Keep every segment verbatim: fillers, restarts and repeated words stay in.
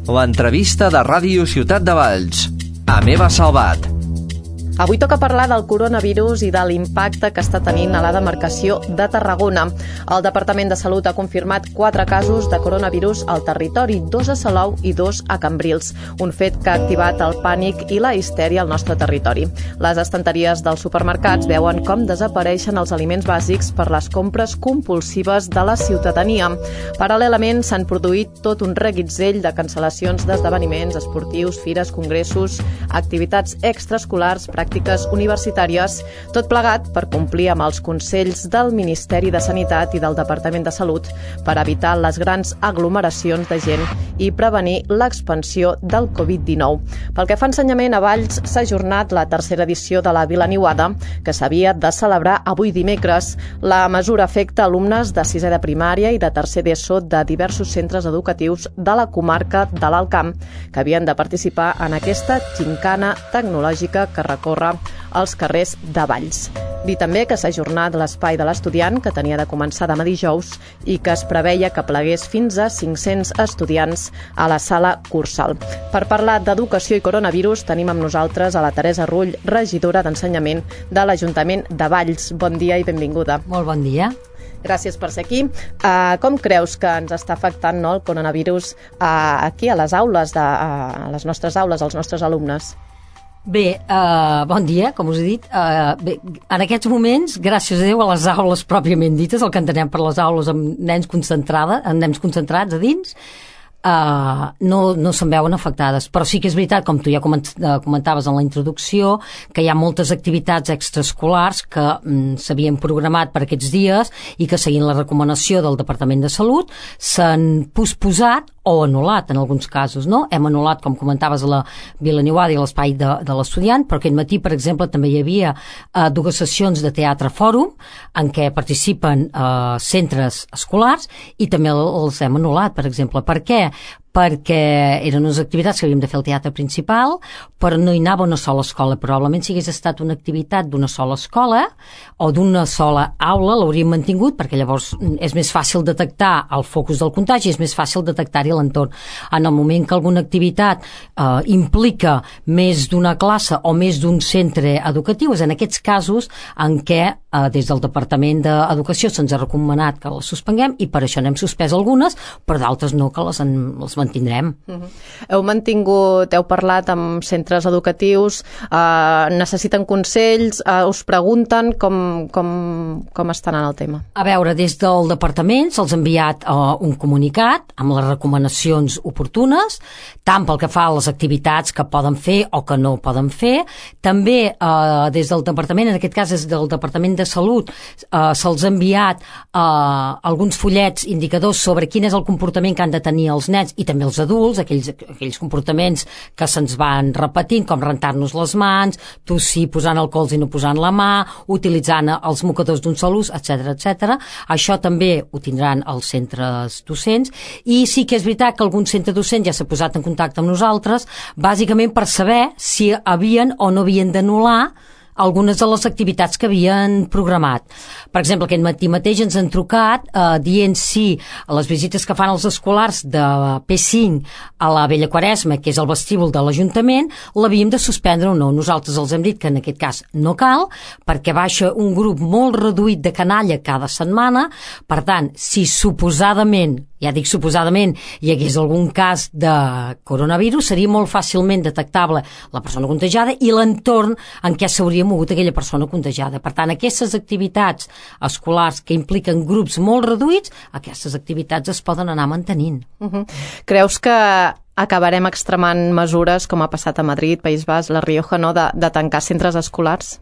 L'entrevista de Ràdio Ciutat de Valls. Amb Eva Salvat. Avui toca parlar del coronavirus i de l'impacte que està tenint a la demarcació de Tarragona. El Departament de Salut ha confirmat quatre casos de coronavirus al territori, dos a Salou i dos a Cambrils, un fet que ha activat el pànic i la histèria al nostre territori. Les estanteries dels supermercats veuen com desapareixen els aliments bàsics per les compres compulsives de la ciutadania. Paral·lelament, s'han produït tot un reguitzell de cancel·lacions d'esdeveniments esportius, fires, congressos, activitats extraescolars, pràctiques universitàries, tot plegat per complir amb els consells del Ministeri de Sanitat i del Departament de Salut per evitar les grans aglomeracions de gent i prevenir l'expansió del covid dinou. Pel que fa a ensenyament, a Valls s'ha ajornat la tercera edició de la Vila Niuada, que s'havia de celebrar avui dimecres. La mesura afecta alumnes de sisè de primària i de tercer d'ESO de diversos centres educatius de la comarca de l'Alt Camp, que havien de participar en aquesta gincana tecnològica que recorre als carrers de Valls. Dir també que s'ha ajornat l'espai de l'estudiant, que tenia de començar demà dijous i que es preveia que plegués fins a cinc-cents estudiants a la sala Cursal. Per parlar d'educació i coronavirus tenim amb nosaltres a la Teresa Rull, regidora d'Ensenyament de l'Ajuntament de Valls. Bon dia i benvinguda. Molt bon dia. Gràcies per ser aquí. Uh, com creus que ens està afectant, no, el coronavirus uh, aquí a les aules, de, uh, a les nostres aules, als nostres alumnes? Bé, uh, bon dia, com us he dit. Uh, bé, en aquests moments, gràcies a Déu, a les aules pròpiament dites, el que entenem per les aules amb nens, concentrada, amb nens concentrats a dins, Uh, no, no se'n veuen afectades, però sí que és veritat, com tu ja comentaves en la introducció, que hi ha moltes activitats extraescolars que mm, s'havien programat per aquests dies i que, seguint la recomanació del Departament de Salut, s'han posposat o anul·lat en alguns casos, no? Hem anul·lat, com comentaves, la Vila Niuada i l'espai de, de l'estudiant, però aquest matí, per exemple, també hi havia uh, dues sessions de teatre fòrum en què participen uh, centres escolars i també els hem anul·lat, per exemple. Per què? Perquè eren unes activitats que havíem de fer al teatre principal, però no hi anava una sola escola. Probablement si hagués estat una activitat d'una sola escola o d'una sola aula l'hauríem mantingut, perquè llavors és més fàcil detectar el focus del contagi, és més fàcil detectar-hi l'entorn. En el moment que alguna activitat eh, implica més d'una classe o més d'un centre educatiu, és en aquests casos en què eh, des del Departament d'Educació se'ns ha recomanat que les suspenguem i per això n'hem suspès algunes, però d'altres no, que les, en, les mantindrem. Uh-huh. Heu mantingut, heu parlat amb centres educatius, eh, necessiten consells, eh, us pregunten com, com, com estan en el tema? A veure, des del departament se'ls ha enviat eh, un comunicat amb les recomanacions oportunes, tant pel que fa a les activitats que poden fer o que no poden fer. També eh, des del departament, en aquest cas des del Departament de Salut, eh, se'ls ha enviat eh, alguns fullets indicadors sobre quin és el comportament que han de tenir els nens i també els adults, aquells, aquells comportaments que se'ns van repetint, com rentar-nos les mans, tossir posant el colze i no posant la mà, utilitzant els mocadors d'un sol ús, etcètera, etcètera. Això també ho tindran els centres docents i sí que és veritat que algun centre docent ja s'ha posat en contacte amb nosaltres, bàsicament per saber si havien o no havien d'anul·lar algunes de les activitats que havien programat. Per exemple, aquest matí mateix ens han trucat eh, dient si les visites que fan els escolars de P cinc a la Vella Quaresma, que és el vestíbul de l'Ajuntament, l'havíem de suspendre o no. Nosaltres els hem dit que en aquest cas no cal, perquè baixa un grup molt reduït de canalla cada setmana. Per tant, si suposadament, ja dic suposadament, hi hagués algun cas de coronavirus, seria molt fàcilment detectable la persona contagiada i l'entorn en què s'hauria mogut aquella persona contagiada. Per tant, aquestes activitats escolars que impliquen grups molt reduïts, aquestes activitats es poden anar mantenint. Uh-huh. Creus que acabarem extremant mesures, com ha passat a Madrid, País Basc, La Rioja, no, de, de tancar centres escolars?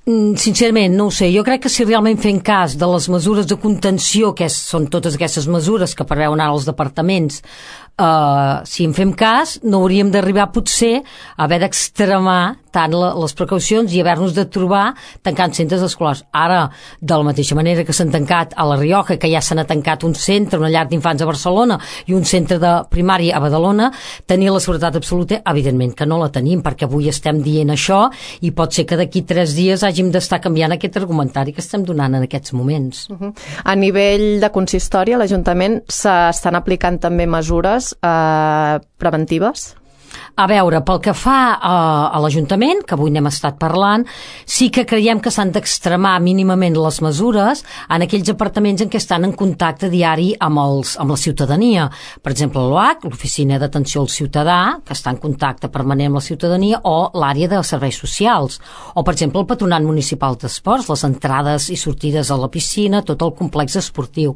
Sincerament, no ho sé. Jo crec que si realment fem cas de les mesures de contenció, que són totes aquestes mesures que preveuen ara els departaments, eh, si en fem cas, no hauríem d'arribar potser a haver d'extremar tant la, les precaucions i haver-nos de trobar tancant centres escolars. Ara, de la mateixa manera que s'han tancat a La Rioja, que ja se n'ha tancat un centre, una llar d'infants a Barcelona i un centre de primària a Badalona, tenir la seguretat absoluta, evidentment que no la tenim, perquè avui estem dient això i pot ser que d'aquí tres dies hàgim d'estar canviant aquest argumentari que estem donant en aquests moments. Uh-huh. A nivell de consistori, a l'Ajuntament s'estan aplicant també mesures eh, preventives? A veure, pel que fa a, a l'Ajuntament, que avui n'hem estat parlant, sí que creiem que s'han d'extremar mínimament les mesures en aquells apartaments en què estan en contacte diari amb, els, amb la ciutadania. Per exemple, l'O H, l'Oficina d'Atenció al Ciutadà, que està en contacte permanent amb la ciutadania, o l'àrea de serveis socials. O, per exemple, el Patronat Municipal d'Esports, les entrades i sortides a la piscina, tot el complex esportiu.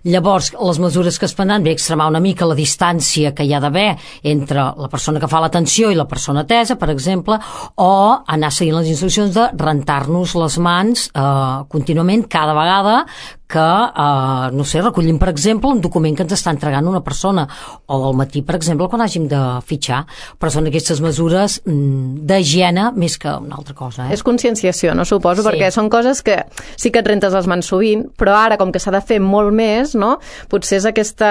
Llavors, les mesures que es prendran, ve extremar una mica la distància que hi ha d'haver entre la persona que fa l'atenció i la persona atesa, per exemple, o anar seguint les instruccions de rentar-nos les mans eh, contínuament cada vegada que, eh, no sé, recollim, per exemple, un document que ens està entregant una persona, o al matí, per exemple, quan hàgim de fitxar. Però són aquestes mesures mm, d'higiene més que una altra cosa. Eh? És conscienciació, no suposo, sí. Perquè són coses que sí que et rentes les mans sovint, però ara, com que s'ha de fer molt més, no? Potser és aquesta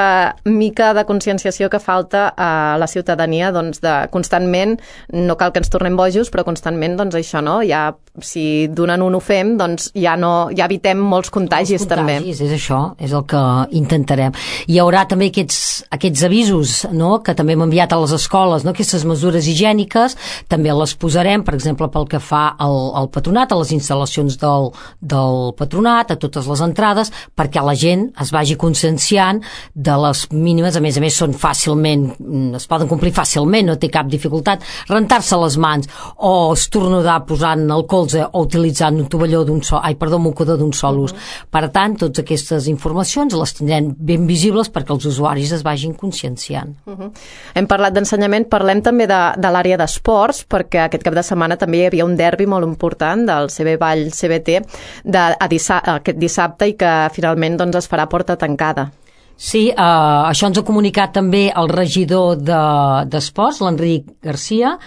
mica de conscienciació que falta a la ciutadania, doncs, de constantment, no cal que ens tornem bojos, però constantment, doncs, això, no? Ja, si d'un en un ho fem, doncs ja no, ja evitem molts contagis, contagis també. És això, és el que intentarem. Hi haurà també aquests, aquests avisos, no?, que també hem enviat a les escoles, no?, aquestes mesures higièniques, també les posarem, per exemple, pel que fa al, al patronat, a les instal·lacions del, del patronat, a totes les entrades, perquè la gent es vagi conscienciant de les mínimes, a més a més són fàcilment, es poden complir fàcilment, no té cap dificultat, rentar-se les mans o estornudar posant el colze o utilitzant un tovalló d'un sol, ai, perdó, un mocador d'un sol ús. Uh-huh. Per tant, totes aquestes informacions les tindrem ben visibles perquè els usuaris es vagin conscienciant. Uh-huh. Hem parlat d'ensenyament, parlem també de, de l'àrea d'esports, perquè aquest cap de setmana també hi havia un derbi molt important del C B Vall C B T de, a dissa, aquest dissabte i que finalment doncs, es farà porta tancada. Sí, eh, això ens ha comunicat també el regidor d'esports, de, l'Enric Garcia,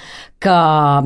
que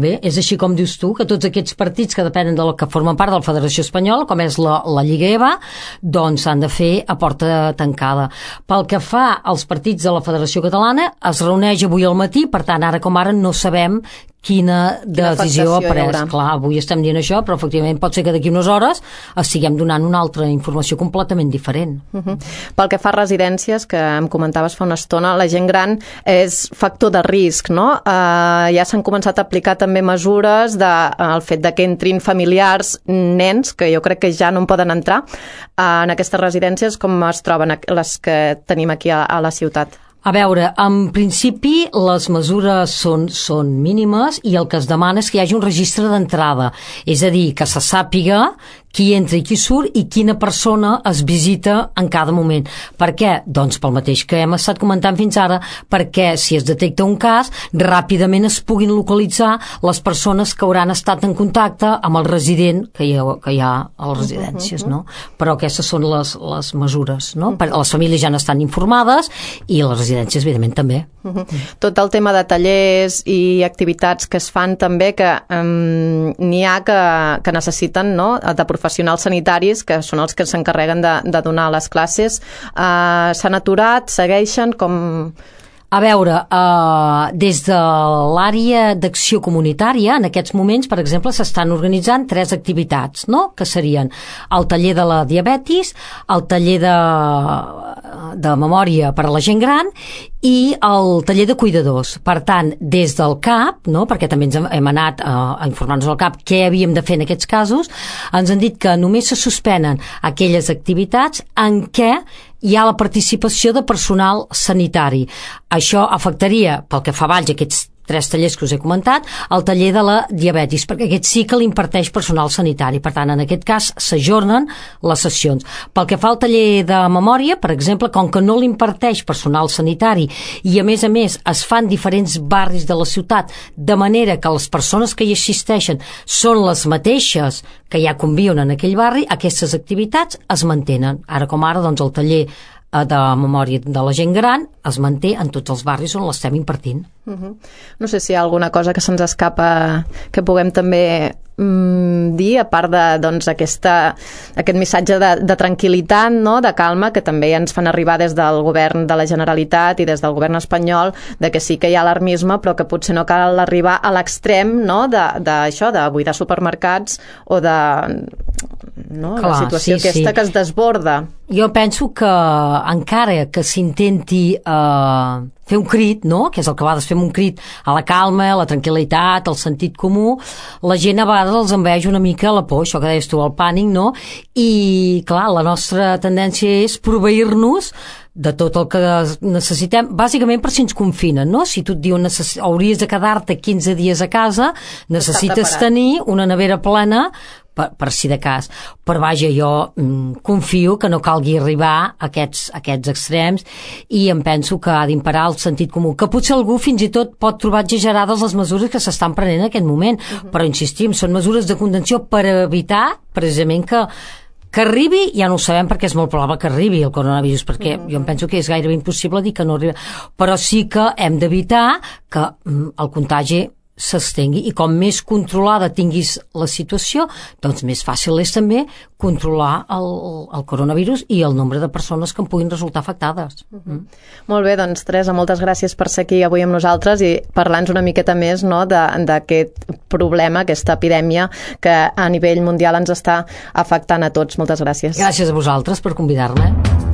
bé, és així com dius tu, que tots aquests partits que depenen del que formen part de la Federació Espanyola, com és la, la Lliga E V A, doncs s'han de fer a porta tancada. Pel que fa als partits de la Federació Catalana, es reuneix avui al matí, per tant, ara com ara no sabem quina decisió ha pres. Clar, avui estem dient això, però efectivament pot ser que d'aquí unes hores estiguem donant una altra informació completament diferent. Uh-huh. Pel que fa a residències, que em comentaves fa una estona, la gent gran és factor de risc, no? Uh, ja s'han començat a aplicar també mesures de, uh, el fet de que entrin familiars, nens, que jo crec que ja no en poden entrar, uh, en aquestes residències, com es troben les que tenim aquí a, a la ciutat? A veure, en principi les mesures són, són mínimes i el que es demana és que hi hagi un registre d'entrada, és a dir, que se sàpiga qui entra i qui surt i quina persona es visita en cada moment. Per què? Doncs pel mateix que hem estat comentant fins ara, perquè si es detecta un cas, ràpidament es puguin localitzar les persones que hauran estat en contacte amb el resident que hi ha, que hi ha a les residències, no? Però aquestes són les, les mesures, no? Les famílies ja n'estan informades i les residències, evidentment, també. Uh-huh. Tot el tema de tallers i activitats que es fan també, que um, n'hi ha que, que necessiten, no?, de professionals sanitaris, que són els que s'encarreguen de, de donar les classes. Uh, s'han aturat, segueixen, com... A veure, eh, des de l'àrea d'acció comunitària, en aquests moments, per exemple, s'estan organitzant tres activitats, no?, que serien el taller de la diabetis, el taller de, de memòria per a la gent gran i el taller de cuidadors. Per tant, des del C A P, no?, perquè també ens hem anat a, a informar-nos al C A P què havíem de fer en aquests casos, ens han dit que només se suspenen aquelles activitats en què hi ha la participació de personal sanitari. Això afectaria, pel que fa a Valls, aquests tres tallers que us he comentat, el taller de la diabetis, perquè aquest sí que l'imparteix personal sanitari. Per tant, en aquest cas, s'ajornen les sessions. Pel que fa al taller de memòria, per exemple, com que no l'imparteix personal sanitari i, a més a més, es fan diferents barris de la ciutat, de manera que les persones que hi assisteixen són les mateixes que ja conviuen en aquell barri, aquestes activitats es mantenen. Ara com ara, doncs, el taller de memòria de la gent gran es manté en tots els barris on l'estem impartint. Uh-huh. No sé si hi ha alguna cosa que se'ns escapa que puguem també mm, dir, a part de doncs, aquesta, aquest missatge de, de tranquil·litat, no? De calma, que també ens fan arribar des del govern de la Generalitat i des del govern espanyol, de que sí que hi ha alarmisme, però que potser no cal arribar a l'extrem, no? de, de, això, de buidar supermercats o de no? Clar, la situació sí, aquesta sí. que es desborda. Jo penso que encara que s'intenti eh, fer un crit, no? Que és el que a vegades fem un crit a la calma, a la tranquil·litat, al sentit comú, la gent a vegades els enveja una mica la por, això que deies tu, el pànic, no? I, clar, la nostra tendència és proveir-nos de tot el que necessitem, bàsicament per si ens confinen, no? Si tu et diuen necess... hauries de quedar-te quinze dies a casa, necessites tenir una nevera plena per, per si de cas. Però vaja, jo mm, confio que no calgui arribar a aquests, a aquests extrems i em penso que ha d'imparar el sentit comú, que potser algú fins i tot pot trobar exagerades les mesures que s'estan prenent en aquest moment, uh-huh. Però insistim, són mesures de contenció per evitar precisament que que arribi, ja no ho sabem perquè és molt probable que arribi el coronavirus, perquè mm-hmm. jo em penso que és gairebé impossible dir que no arribi, però sí que hem d'evitar que mm, el contagi s'estengui i com més controlada tinguis la situació, doncs més fàcil és també controlar el, el coronavirus i el nombre de persones que en puguin resultar afectades. Mm-hmm. Mm. Molt bé, doncs Teresa, moltes gràcies per ser aquí avui amb nosaltres i parlar-nos una miqueta més, no, d'aquest problema, aquesta epidèmia que a nivell mundial ens està afectant a tots. Moltes gràcies. Gràcies a vosaltres per convidar-me.